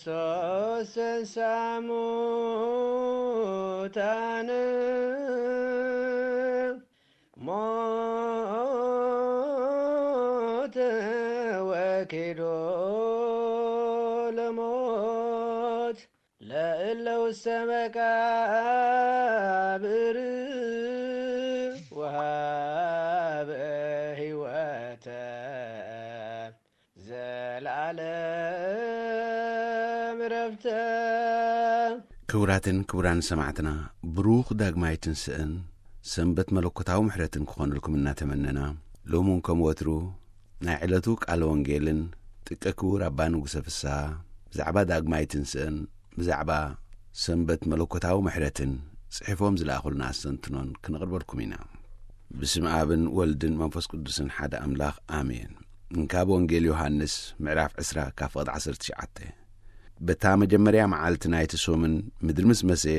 ክርስቶስ ተንሥአ እሙታን፣ ሞተ ወኪዶ ለሞት፣ ለእለ ውስተ መቃብር ወሃበ ሕይወተ ዘለዓለም ረፍተ። ክቡራትን ክቡራን ሰማዕትና፣ ብሩኽ ዳግማይ ትንስእን ሰንበት መለኮታዊ ምሕረትን ክኾነልኩም እናተመነና፣ ሎሚ እውን ከም ወትሩ ናይ ዕለቱ ቃለ ወንጌልን ጥቀ ክቡር ኣባ ንጉሰ ፍስሃ ብዛዕባ ዳግማይ ትንስእን ብዛዕባ ሰንበት መለኮታዊ ምሕረትን ጽሒፎም ዝለኣኹልና ኣስተንትኖን ክነቕርበልኩም ኢና። ብስም ኣብን ወልድን መንፈስ ቅዱስን ሓደ ኣምላኽ፣ ኣሜን። እንካብ ወንጌል ዮሃንስ ምዕራፍ ዕስራ ካብ ፍቕዲ ዓሰርተ ትሽዓተ። በታ መጀመርያ መዓልቲ ናይቲ ሶምን ምድሪ ምስ መሰየ፣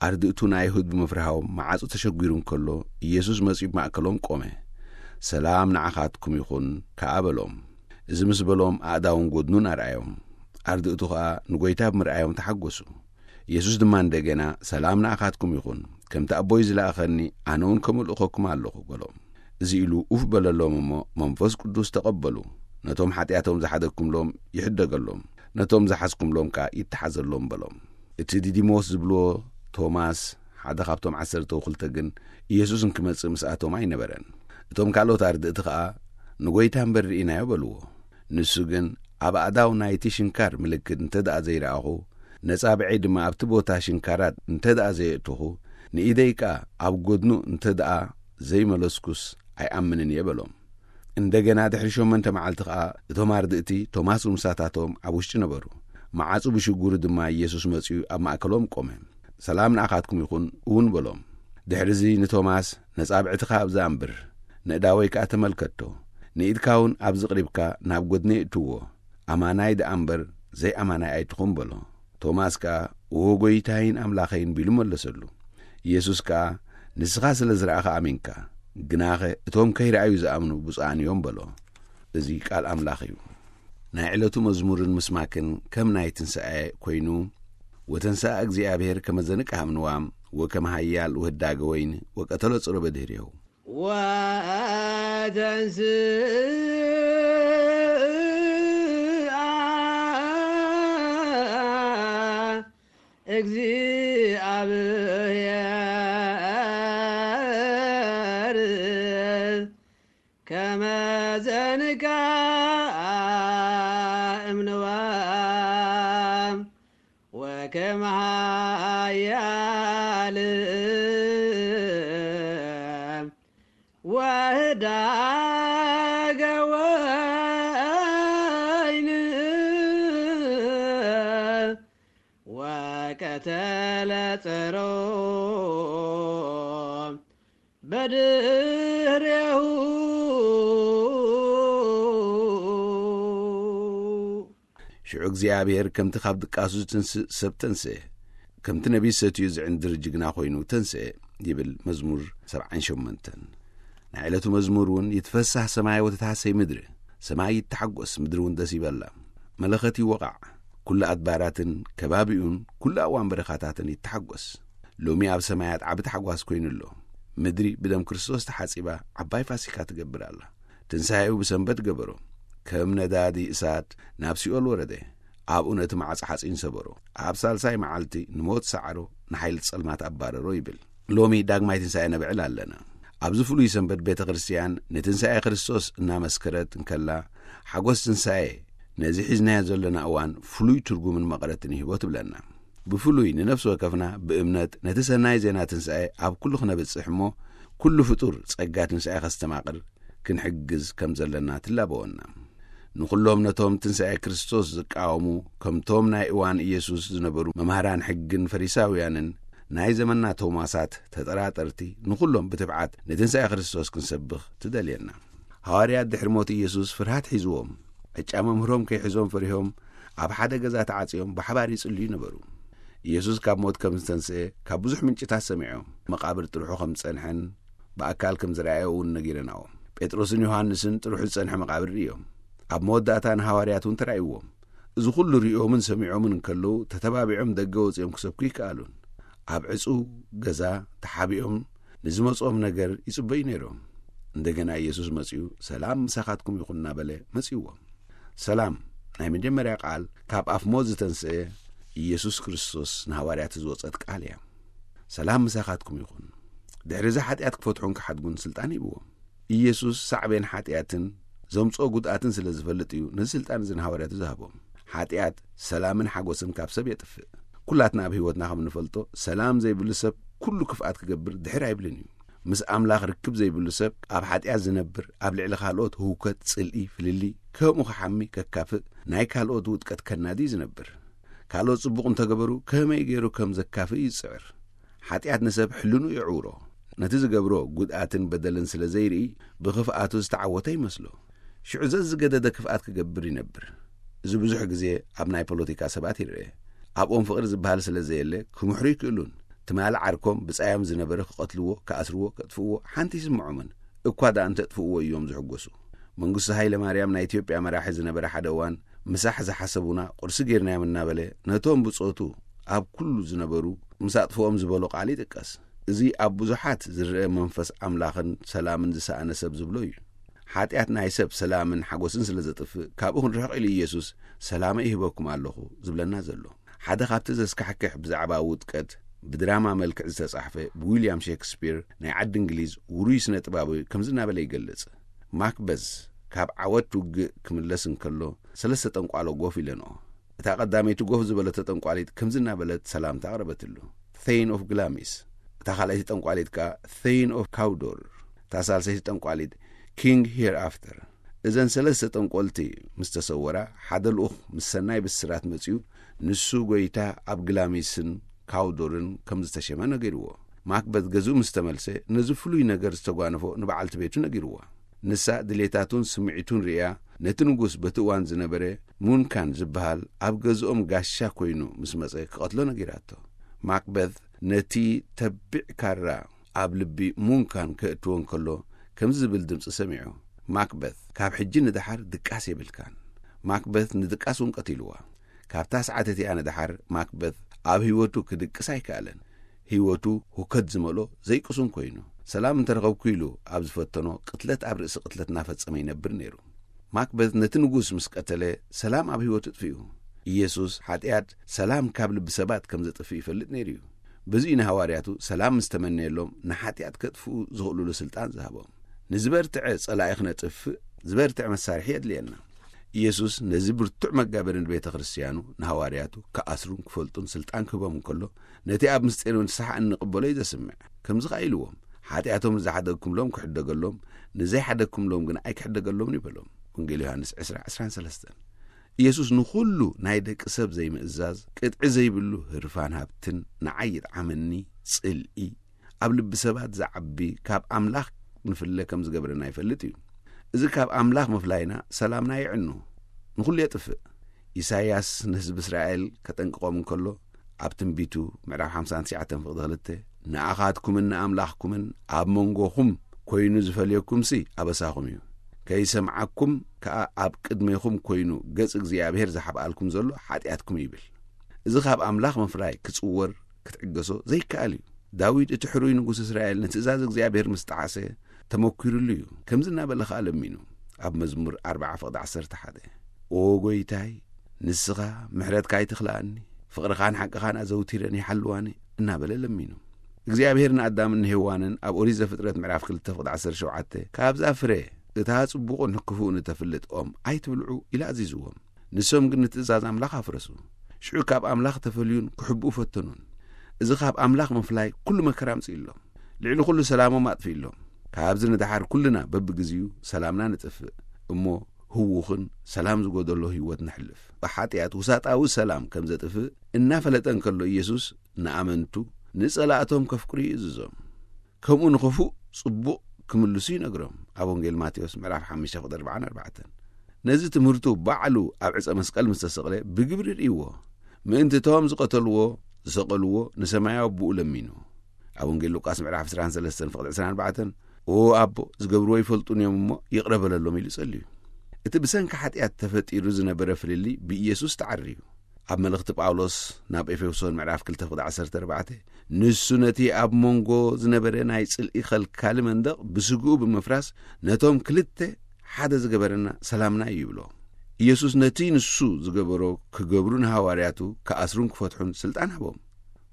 ኣርድእቱ ንኣይሁድ ብምፍርሃዎም መዓጹ ተሸጒሩ እንከሎ፣ ኢየሱስ መጺኡ ብማእከሎም ቆመ። "ሰላም ንዓኻትኩም ይኹን" ከኣ በሎም። እዚ ምስ በሎም ኣእዳውን ጐድኑን ኣርኣዮም። ኣርድእቱ ኸኣ ንጐይታ ብምርኣዮም ተሓጐሱ። ኢየሱስ ድማ እንደገና "ሰላም ንኣኻትኩም ይኹን፣ ከምቲ ኣቦይ ዝለኣኸኒ ኣነ እውን ከምኡ እልእኸኩም ኣለኹ" በሎም። እዚ ኢሉ ኡፍ በለሎም እሞ መንፈስ ቅዱስ ተቐበሉ። ነቶም ሓጢኣቶም ዝሓደግኩምሎም ይሕደገሎም፣ ነቶም ዝሓዝኩምሎም ከኣ ይተሓዘሎም በሎም። እቲ ዲዲሞስ ዝብልዎ ቶማስ፣ ሓደ ካብቶም ዓሰርተ ወክልተ ግን፣ ኢየሱስ እንክመጽእ ምስኣቶም ኣይነበረን። እቶም ካልኦት ኣርድእቲ ከኣ "ንጐይታ እምበር ርኢናዮ" በልዎ። ንሱ ግን "ኣብ ኣእዳው ናይቲ ሽንካር ምልክት እንተ ደኣ ዘይረኣኹ፣ ነጻብዐይ ድማ ኣብቲ ቦታ ሽንካራት እንተ ደኣ ዘየእተኹ፣ ንኢደይ ከኣ ኣብ ጐድኑ እንተ ደኣ ዘይመለስኩስ ኣይኣምንን እየ" በሎም። እንደገና ድሕሪ ሸሞንተ መዓልቲ ኸኣ እቶም ኣርድእቲ ቶማስ ምሳታቶም ኣብ ውሽጢ ነበሩ። መዓጹ ብሽጉሩ ድማ ኢየሱስ መጺኡ ኣብ ማእከሎም ቆመ። "ሰላም ንኣኻትኩም ይኹን" እውን በሎም። ድሕርዚ ንቶማስ "ነጻብዕትኻ ኣብዛ ኣንብር፣ ንእዳወይ ከኣ ተመልከቶ፣ ንኢድካ እውን ኣብዚ ቅሪብካ ናብ ጐድነይ እትዎ፣ ኣማናይ ደኣ እምበር ዘይኣማናይ ኣይትኹን" በሎ። ቶማስ ከኣ "እወ ጐይታይን ኣምላኸይን" ቢሉ መለሰሉ። ኢየሱስ ከኣ "ንስኻ ስለ ዝረኣኻ ኣሚንካ፣ ግናኸ እቶም ከይረኣዩ ዝኣምኑ ብፁዓን እዮም" በሎ። እዚ ቃል ኣምላኽ እዩ። ናይ ዕለቱ መዝሙርን ምስማክን ከም ናይ ትንሳኤ ኮይኑ፣ "ወተንስአ እግዚኣብሔር ከመ ዘንቅህ እምንዋም ወከመ ኃያል ወህዳገ ወይን ወቀተሎ ጽሮ በድህሬሁ" ወተንስአ እግዚአብሔር ከመ ዘንቃ እምንዋ ወከመ ኃያል ወህዳገ ወይን ወቀተለ ጸሮ በድህሬሁ። ሽዑ እግዚኣብሔር ከምቲ ካብ ድቃሱ ዝትንስእ ሰብ ተንስአ፣ ከምቲ ነቢይ ሰትዩ ዝዕንድር ጅግና ኮይኑ ተንስአ ይብል መዝሙር ሰብዓን ሸሞንተን። ናይ ዕለቱ መዝሙር እውን "ይትፈሳህ ሰማይ ወተትሃሰይ ምድሪ"፣ ሰማይ ይተሓጎስ፣ ምድሪ እውን ደስ ይበላ። መለኸት ይወቓዕ፣ ኩሉ ኣድባራትን ከባቢኡን ኩሉ ኣእዋን በረኻታትን ይተሓጎስ። ሎሚ ኣብ ሰማያት ዓቢ ታሕጓስ ኮይኑ ኣሎ። ምድሪ ብደም ክርስቶስ ተሓጺባ ዓባይ ፋሲካ ትገብር ኣላ። ትንሳኤኡ ብሰንበት ገበሮ። ከም ነዳዲ እሳት ናብ ሲኦል ወረደ። ኣብኡ ነቲ ማዕጾ ሓጺን ሰበሮ። ኣብ ሳልሳይ መዓልቲ ንሞት ሰዓሮ፣ ንሓይሊ ጸልማት ኣባረሮ ይብል። ሎሚ ዳግማይ ትንሳኤ ነብዕል ኣለና። ኣብዚ ፍሉይ ሰንበት ቤተ ክርስቲያን ንትንሳኤ ክርስቶስ እናመስከረት እንከላ፣ ሓጎስ ትንሳኤ ነዚ ሒዝናዮ ዘለና እዋን ፍሉይ ትርጉምን መቐረትን ይህቦ ትብለና። ብፍሉይ ንነፍሲ ወከፍና ብእምነት ነቲ ሰናይ ዜና ትንሳኤ ኣብ ኩሉ ክነብጽሕ እሞ፣ ኩሉ ፍጡር ጸጋ ትንሳኤ ከስተማቕር ክንሕግዝ ከም ዘለና ትላበወና። ንኹሎም ነቶም ትንሳኤ ክርስቶስ ዝቃወሙ፣ ከምቶም ናይ እዋን ኢየሱስ ዝነበሩ መምሃራን ሕግን ፈሪሳውያንን ናይ ዘመንና ቶማሳት ተጠራጠርቲ፣ ንኹሎም ብትብዓት ንትንሳኤ ክርስቶስ ክንሰብኽ ትደልየና። ሃዋርያት ድሕሪ ሞት ኢየሱስ ፍርሃት ሒዝዎም፣ ዕጫ መምህሮም ከይሕዞም ፈሪሆም ኣብ ሓደ ገዛ ተዓጽዮም ብሓባር ይጽልዩ ነበሩ። ኢየሱስ ካብ ሞት ከም ዝተንስኤ ካብ ብዙሕ ምንጭታት ሰሚዖም። መቓብር ጥርሑ ከም ዝጸንሐን ብኣካል ከም ዝረኣየ እውን ነጊረናዎም። ጴጥሮስን ዮሃንስን ጥርሑ ዝጸንሐ መቓብር ርእዮም። ኣብ መወዳእታ ንሃዋርያት እውን ተራእይዎም። እዚ ኹሉ ሪኦምን ሰሚዖምን እንከለዉ፣ ተተባቢዖም ደገ ወጺኦም ክሰብኩ ይከኣሉን። ኣብ ዕጹው ገዛ ተሓቢኦም ንዝመጾም ነገር ይጽበዩ ነይሮም። እንደገና ኢየሱስ መጺኡ፣ "ሰላም ምሳኻትኩም ይኹን" እናበለ መጺእዎም። ሰላም፣ ናይ መጀመርያ ቃል ካብ ኣፍ ሞት ዝተንስአ ኢየሱስ ክርስቶስ ንሃዋርያት ዝወጸት ቃል እያ። "ሰላም ምሳኻትኩም ይኹን።" ድሕሪ እዚ ሓጢኣት ክፈትሑን ክሓድጉን ስልጣን ሂብዎም። ኢየሱስ ሳዕቤን ሓጢኣትን ዘምጽኦ ጉድኣትን ስለ ዝፈልጥ እዩ ነዚ ስልጣን እዚ ንሃዋርያቱ ዝሃቦም። ሓጢኣት ሰላምን ሓጎስን ካብ ሰብ የጥፍእ። ኩላትና ኣብ ህይወትና ከም እንፈልጦ፣ ሰላም ዘይብሉ ሰብ ኩሉ ክፍኣት ክገብር ድሕር ኣይብልን እዩ። ምስ ኣምላኽ ርክብ ዘይብሉ ሰብ፣ ኣብ ሓጢኣት ዝነብር፣ ኣብ ልዕሊ ካልኦት ህውከት፣ ጽልኢ፣ ፍልልይ፣ ከምኡ ክሓሚ፣ ከካፍእ፣ ናይ ካልኦት ውድቀት ከናዲ እዩ ዝነብር። ካልኦት ጽቡቕ እንተገበሩ ከመይ ገይሩ ከም ዘካፍእ ይጽዕር። ሓጢኣት ንሰብ ሕልኑ የዕውሮ። ነቲ ዝገብሮ ጉድኣትን በደልን ስለ ዘይርኢ፣ ብኽፍኣቱ ዝተዓወተ ይመስሎ። ሽዑ ዘዝገደደ ክፍኣት ክገብር ይነብር። እዚ ብዙሕ ግዜ ኣብ ናይ ፖለቲካ ሰባት ይርአ። ኣብኦም ፍቕሪ ዝበሃል ስለ ዘየለ፣ ክምሕሩ ይክእሉን። ትማሊ ዓርኮም ብጻዮም ዝነበረ ክቐትልዎ፣ ክኣስርዎ፣ ከጥፍእዎ ሓንቲ ይስምዖምን። እኳ ደኣ እንተጥፍእዎ እዮም ዝሕጎሱ። መንግስቱ ሃይለ ማርያም ናይ ኢትዮጵያ መራሒ ዝነበረ ሓደ እዋን፣ "ምሳሕ ዝሓሰቡና ቁርሲ ጌርናዮም" እናበለ፣ ነቶም ብጾቱ ኣብ ኩሉ ዝነበሩ ምስ ኣጥፍኦም ዝበሎ ቃል ይጥቀስ። እዚ ኣብ ብዙሓት ዝረአ መንፈስ ኣምላኽን ሰላምን ዝሰኣነ ሰብ ዝብሎ እዩ። ሓጢኣት ናይ ሰብ ሰላምን ሓጎስን ስለ ዘጥፍእ፣ ካብኡ ክንርሕቕ ኢሉ ኢየሱስ፣ "ሰላመይ ይህበኩም ኣለኹ" ዝብለና ዘሎ። ሓደ ካብቲ ዘስካሕክሕ ብዛዕባ ውድቀት ብድራማ መልክዕ ዝተጻሕፈ ብዊልያም ሼክስፒር ናይ ዓዲ እንግሊዝ ውሩይ ስነ ጥባባዊ ከምዚ እናበለ ይገልጽ። ማክበዝ ካብ ዓወት ውግእ ክምለስ እንከሎ ሰለስተ ጠንቋሎ ጎፍ ኢለንኦ። እታ ቀዳመይቲ ጎፍ ዝበለቶ ጠንቋሊት ከምዚ እናበለት ሰላምታ ኣቕረበትሉ። "Thane of Glamis." እታ ካልኣይቲ ጠንቋሊት ከኣ "Thane of Cawdor." እታ ሳልሰይቲ ጠንቋሊት "King Hereafter." እዘን ሰለስተ ጠንቆልቲ ምስ ተሰወራ፣ ሓደ ልኡኽ ምስ ሰናይ ብስራት መጺኡ፣ ንሱ ጐይታ ኣብ ግላሚስን ካውዶርን ከም ዝተሸመ ነጊርዎ። ማክበት ገዝኡ ምስ ተመልሰ፣ ነዚ ፍሉይ ነገር ዝተጓነፎ ንበዓልቲ ቤቱ ነጊርዋ። ንሳ ድሌታቱን ስምዒቱን ርእያ፣ ነቲ ንጉስ በቲ እዋን ዝነበረ ሙንካን ዝበሃል ኣብ ገዝኦም ጋሻ ኮይኑ ምስ መጸ ክቐትሎ ነጊራቶ። ማክበት ነቲ ተቢዕ ካራ ኣብ ልቢ ሙንካን ከእትዎ እንከሎ፣ ከምዚ ዝብል ድምጺ ሰሚዑ፣ "ማክበት፣ ካብ ሕጂ ንደሓር ድቃስ የብልካን።" ማክበት ንድቃስ እውን ቀቲልዋ። ካብታ ሰዓት እቲኣ ንደሓር ማክበት ኣብ ህይወቱ ክድቅስ ኣይከኣለን። ህይወቱ ሁከት ዝመልኦ ዘይቅሱን ኮይኑ፣ ሰላም እንተረኸብኩ ኢሉ ኣብ ዝፈተኖ ቅትለት ኣብ ርእሲ ቅትለት እናፈጸመ ይነብር ነይሩ። ማክበት ነቲ ንጉስ ምስ ቀተለ፣ ሰላም ኣብ ህይወቱ ኣጥፊኡ። ኢየሱስ ሓጢኣት ሰላም ካብ ልቢ ሰባት ከም ዘጥፍእ ይፈልጥ ነይሩ እዩ። በዚ እዩ ንሃዋርያቱ ሰላም ምስ ተመነየሎም ንሓጢኣት ከጥፍኡ ዝኽእሉሉ ስልጣን ዝሃቦም። ንዝበርትዐ ጸላኢ ክነጥፍእ ዝበርትዐ መሳርሒ የድልየና። ኢየሱስ ነዚ ብርቱዕ መጋበሪ ንቤተ ክርስትያኑ ንሃዋርያቱ ክኣስሩን ክፈልጡን ስልጣን ክህቦም እንከሎ፣ ነቲ ኣብ ምስጢር ንስሓ እንቕበሎ እዩ ዘስምዕ። ከምዚ ኸኣ ኢልዎም፣ "ሓጢኣቶም ንዝሓደግኩምሎም ክሕደገሎም፣ ንዘይሓደግኩምሎም ግን ኣይክሕደገሎምን" ይበሎም። ወንጌል ዮሃንስ ዕስራ ዕስራን ሰለስተን። ኢየሱስ ንኹሉ ናይ ደቂ ሰብ ዘይምእዛዝ፣ ቅጥዒ ዘይብሉ ህርፋን ሃብትን ንዓይ ይጥዓመኒ፣ ጽልኢ፣ ኣብ ልቢ ሰባት ዝዓቢ ካብ ኣምላኽ ንፍለ ከም ዝገብረና ይፈልጥ እዩ። እዚ ካብ ኣምላኽ ምፍላይና ሰላምና የዕኑ፣ ንኹሉ የጥፍእ። ኢሳይያስ ንህዝቢ እስራኤል ከጠንቅቖም እንከሎ፣ ኣብ ትንቢቱ ምዕራፍ ሓምሳን ትሽዓተን ፍቕዲ ክልተ፣ "ንኣኻትኩምን ንኣምላኽኩምን ኣብ መንጎኹም ኮይኑ ዝፈልየኩምሲ ኣበሳኹም እዩ። ከይሰምዓኩም ከኣ ኣብ ቅድሜኹም ኮይኑ ገጽ እግዚኣብሔር ዝሓብኣልኩም ዘሎ ሓጢኣትኩም" ይብል። እዚ ካብ ኣምላኽ ምፍላይ ክጽወር ክትዕገሶ ዘይከኣል እዩ። ዳዊት እቲ ሕሩይ ንጉስ እስራኤል ንትእዛዝ እግዚኣብሔር ምስ ጠዓሰ ተመኲሩሉ እዩ። ከምዚ እናበለ ኸኣ ለሚኑ ኣብ መዝሙር ኣርብዓ ፍቕዲ ዓሰርተ ሓደ፣ "ኦ ጐይታይ፣ ንስኻ ምሕረትካ ኣይትኽልኣኒ፣ ፍቕርኻን ሓቅኻን ኣዘውቲረን ይሓልዋኒ" እናበለ ለሚኑ። እግዚኣብሔር ንኣዳምን ንሄዋንን ኣብ ኦሪት ዘፍጥረት ምዕራፍ ክልተ ፍቕዲ ዓሰርተ ሸውዓተ፣ "ካብዛ ፍረ እታ ጽቡቕን ክፉእን እተፍልጥ ኦም ኣይትብልዑ" ኢሉ ኣዚዝዎም። ንሶም ግን ንትእዛዝ ኣምላኽ ኣፍረሱ። ሽዑ ካብ ኣምላኽ ተፈልዩን ክሕብኡ ፈተኑን። እዚ ካብ ኣምላኽ ምፍላይ ኩሉ መከራ ኣምጺእሎም። ልዕሊ ኩሉ ሰላሞም ኣጥፊእሎም። ካብዚ ንደሓር ኩልና በብግዜኡ ሰላምና ንጥፍእ። እሞ ህዉኽን ሰላም ዝጎደሎ ህይወት ነሕልፍ። ብሓጢኣት ውሳጣዊ ሰላም ከም ዘጥፍእ እናፈለጠ እንከሎ ኢየሱስ ንኣመንቱ ንጸላእቶም ከፍቅሩ ይእዝዞም። ከምኡ ንኽፉእ ጽቡቕ ክምልሱ ይነግሮም። ኣብ ወንጌል ማቴዎስ ምዕራፍ ሓሙሽተ ፍቕዲ ኣርባዓን ኣርባዕተን። ነዚ ትምህርቱ ባዕሉ ኣብ ዕጸ መስቀል ምስ ተሰቕለ ብግብሪ ርእይዎ። ምእንቲ እቶም ዝቐተልዎ፣ ዝሰቐልዎ ንሰማያዊ ኣቦኡ ለሚኑ። ኣብ ወንጌል ሉቃስ ምዕራፍ ዕስራን ሰለስተን ፍቕዲ ዕስራን ኣርባዕተን፣ "ኦ ኣቦ፣ ዝገብርዎ ይፈልጡን እዮም እሞ ይቕረ በለሎም" ኢሉ ጸልዩ። እቲ ብሰንኪ ሓጢኣት ተፈጢሩ ዝነበረ ፍልልይ ብኢየሱስ ተዓርዩ። ኣብ መልእኽቲ ጳውሎስ ናብ ኤፌሶን ምዕራፍ ክልተ ፍቕዲ ዓሰርተ ኣርባዕተ፣ ንሱ ነቲ ኣብ መንጎ ዝነበረ ናይ ጽልኢ ኸልካሊ መንደቕ ብስግኡ ብምፍራስ፣ ነቶም ክልተ ሓደ ዝገበረና ሰላምና እዩ ይብሎ። ኢየሱስ ነቲ ንሱ ዝገበሮ ክገብሩ ንሃዋርያቱ ክኣስሩን ክፈትሑን ስልጣን ሃቦም።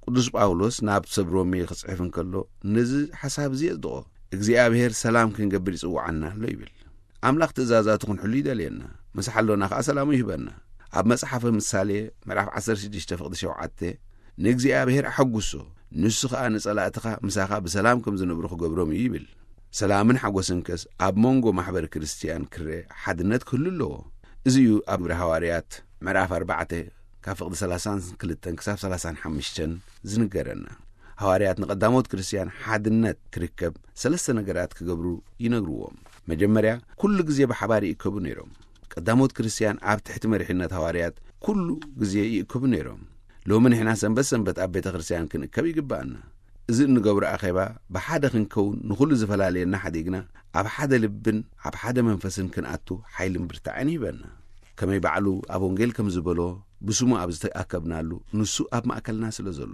ቅዱስ ጳውሎስ ናብ ሰብ ሮሜ ክጽሕፍ እንከሎ፣ ነዚ ሓሳብ እዚ የጽድቖ። እግዚኣብሔር ሰላም ክንገብር ይጽውዓና ኣሎ ይብል። ኣምላኽ ትእዛዛቱ ክንሕሉ ይደልየና፣ ምስ ሓሎና ከኣ ሰላሙ ይህበና። ኣብ መጽሓፈ ምሳሌ ምዕራፍ ዓሰርተ ሽዱሽተ ፍቕዲ ሸውዓተ፣ ንእግዚኣብሔር ኣሐጉሶ፣ ንሱ ኸኣ ንጸላእትኻ ምሳኻ ብሰላም ከም ዝነብሩ ክገብሮም እዩ ይብል። ሰላምን ሓጎስን ከስ ኣብ መንጎ ማሕበር ክርስትያን ክረ ሓድነት ክህሉ ኣለዎ። እዚ እዩ ኣብ ግብረ ሃዋርያት ምዕራፍ ኣርባዕተ ካብ ፍቕዲ ሰላሳን ክልተን ክሳብ ሰላሳን ሓሙሽተን ዝንገረና። ሃዋርያት ንቐዳሞት ክርስትያን ሓድነት ክርከብ ሰለስተ ነገራት ክገብሩ ይነግርዎም። መጀመርያ፣ ኩሉ ግዜ ብሓባር ይእከቡ ነይሮም። ቀዳሞት ክርስትያን ኣብ ትሕቲ መሪሕነት ሃዋርያት ኩሉ ግዜ ይእከቡ ነይሮም። ሎሚ ንሕና ሰንበት ሰንበት ኣብ ቤተ ክርስትያን ክንእከብ ይግብኣና። እዚ እንገብሮ ኣኼባ ብሓደ ክንከውን ንኹሉ ዝፈላለየና ሓዲግና ኣብ ሓደ ልብን ኣብ ሓደ መንፈስን ክንኣቱ ሓይልን ብርታዕን ይህበና። ከመይ ባዕሉ ኣብ ወንጌል ከም ዝበሎ፣ ብስሙ ኣብ ዝተኣከብናሉ ንሱ ኣብ ማእከልና ስለ ዘሎ።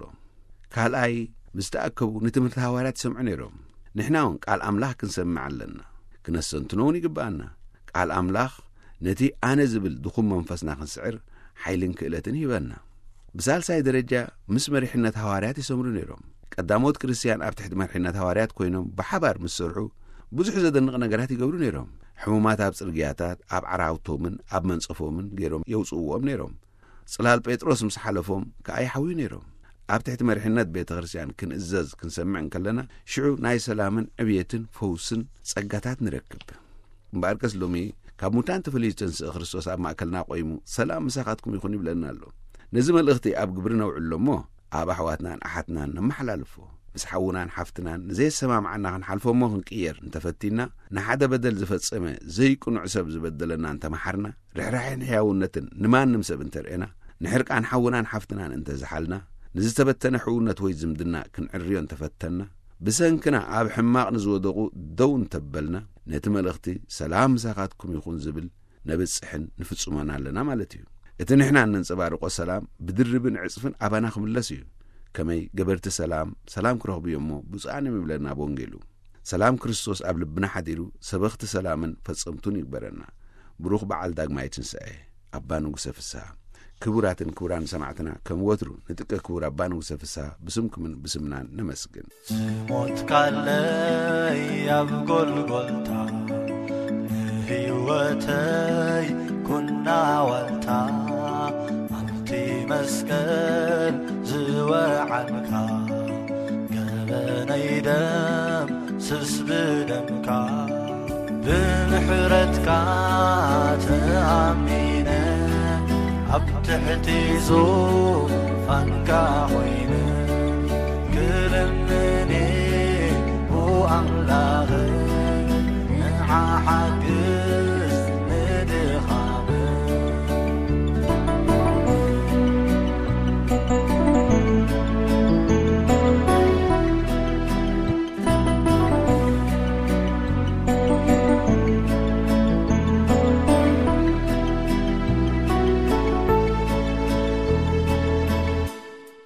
ካልኣይ፣ ምስ ተኣከቡ ንትምህርቲ ሃዋርያት ይሰምዑ ነይሮም። ንሕና እውን ቃል ኣምላኽ ክንሰምዕ ኣለና። ክነስተንትኖ እውን ይግብኣና። ቃል ኣምላኽ ነቲ ኣነ ዝብል ድኹም መንፈስና ክንስዕር ሓይልን ክእለትን ይህበና። ብሳልሳይ ደረጃ፣ ምስ መሪሕነት ሃዋርያት ይሰምሩ ነይሮም። ቀዳሞት ክርስትያን ኣብ ትሕቲ መሪሕነት ሃዋርያት ኮይኖም ብሓባር ምስ ሰርሑ ብዙሕ ዘደንቕ ነገራት ይገብሩ ነይሮም። ሕሙማት ኣብ ጽርግያታት፣ ኣብ ዓራውቶምን ኣብ መንጸፎምን ገይሮም የውጽእዎም ነይሮም። ጽላል ጴጥሮስ ምስ ሓለፎም ከኣ ይሓውዩ ነይሮም። ኣብ ትሕቲ መሪሕነት ቤተ ክርስትያን ክንእዘዝ ክንሰምዕ እንከለና፣ ሽዑ ናይ ሰላምን ዕብየትን ፈውስን ጸጋታት ንረክብ። እምበኣርከስ ሎሚ ካብ ሙታን ተፈልዩ ዝተንስአ ክርስቶስ ኣብ ማእከልና ቆይሙ፣ "ሰላም ምሳኻትኩም ይኹን" ይብለና ኣሎ። ነዚ መልእኽቲ ኣብ ግብሪ ነውዕሎ እሞ፣ ኣብ ኣሕዋትናን ኣሓትናን ነመሓላልፎ። ምስ ሓውናን ሓፍትናን ንዘየሰማምዓና ክንሓልፎ እሞ ክንቅየር እንተፈቲና፣ ንሓደ በደል ዝፈጸመ ዘይቅኑዕ ሰብ ዝበደለና እንተመሓርና፣ ርሕራሕን ሕያውነትን ንማንም ሰብ እንተርእና፣ ንሕርቃን ሓውናን ሓፍትናን እንተዝሓልና፣ ንዝተበተነ ሕውነት ወይ ዝምድና ክንዕርዮ እንተፈተንና፣ ብሰንክና ኣብ ሕማቕ ንዝወደቑ ደው እንተበልና፣ ነቲ መልእኽቲ "ሰላም ምሳኻትኩም ይኹን" ዝብል ነብጽሕን ንፍጽሞን ኣለና ማለት እዩ። እቲ ንሕና እነንጸባርቆ ሰላም ብድርብን ዕጽፍን ኣባና ክምለስ እዩ። ከመይ ገበርቲ ሰላም፣ ሰላም ክረኽቡ እዮም እሞ ብፁዓን እዮም ይብለና ኣብ ወንጌሉ። ሰላም ክርስቶስ ኣብ ልብና ሓዲሩ ሰበኽቲ ሰላምን ፈጸምቱን ይግበረና። ብሩኽ በዓል ዳግማይ ትንሳኤ ኣባ ንጉሰ ፍስሃ። ክቡራትን ክቡራን ሰማዕትና፣ ከም ወትሩ ንጥቀ ክቡር ኣባ ንጉሰ ፍስሃ ብስምኩምን ብስምናን ነመስግን። ዝሞትካለይ ኣብ ጎልጎልታ ንህይወተይ ኩና ዋልታ፣ ኣብቲ መስቀል ዝወዓልካ ገበነይ ደምስስ ብደምካ። ብምሕረትካ ተኣሚነ ኣብ ትሕቲ ዙፋንካ ኮይነ ክልምኒ ብኣምላኽ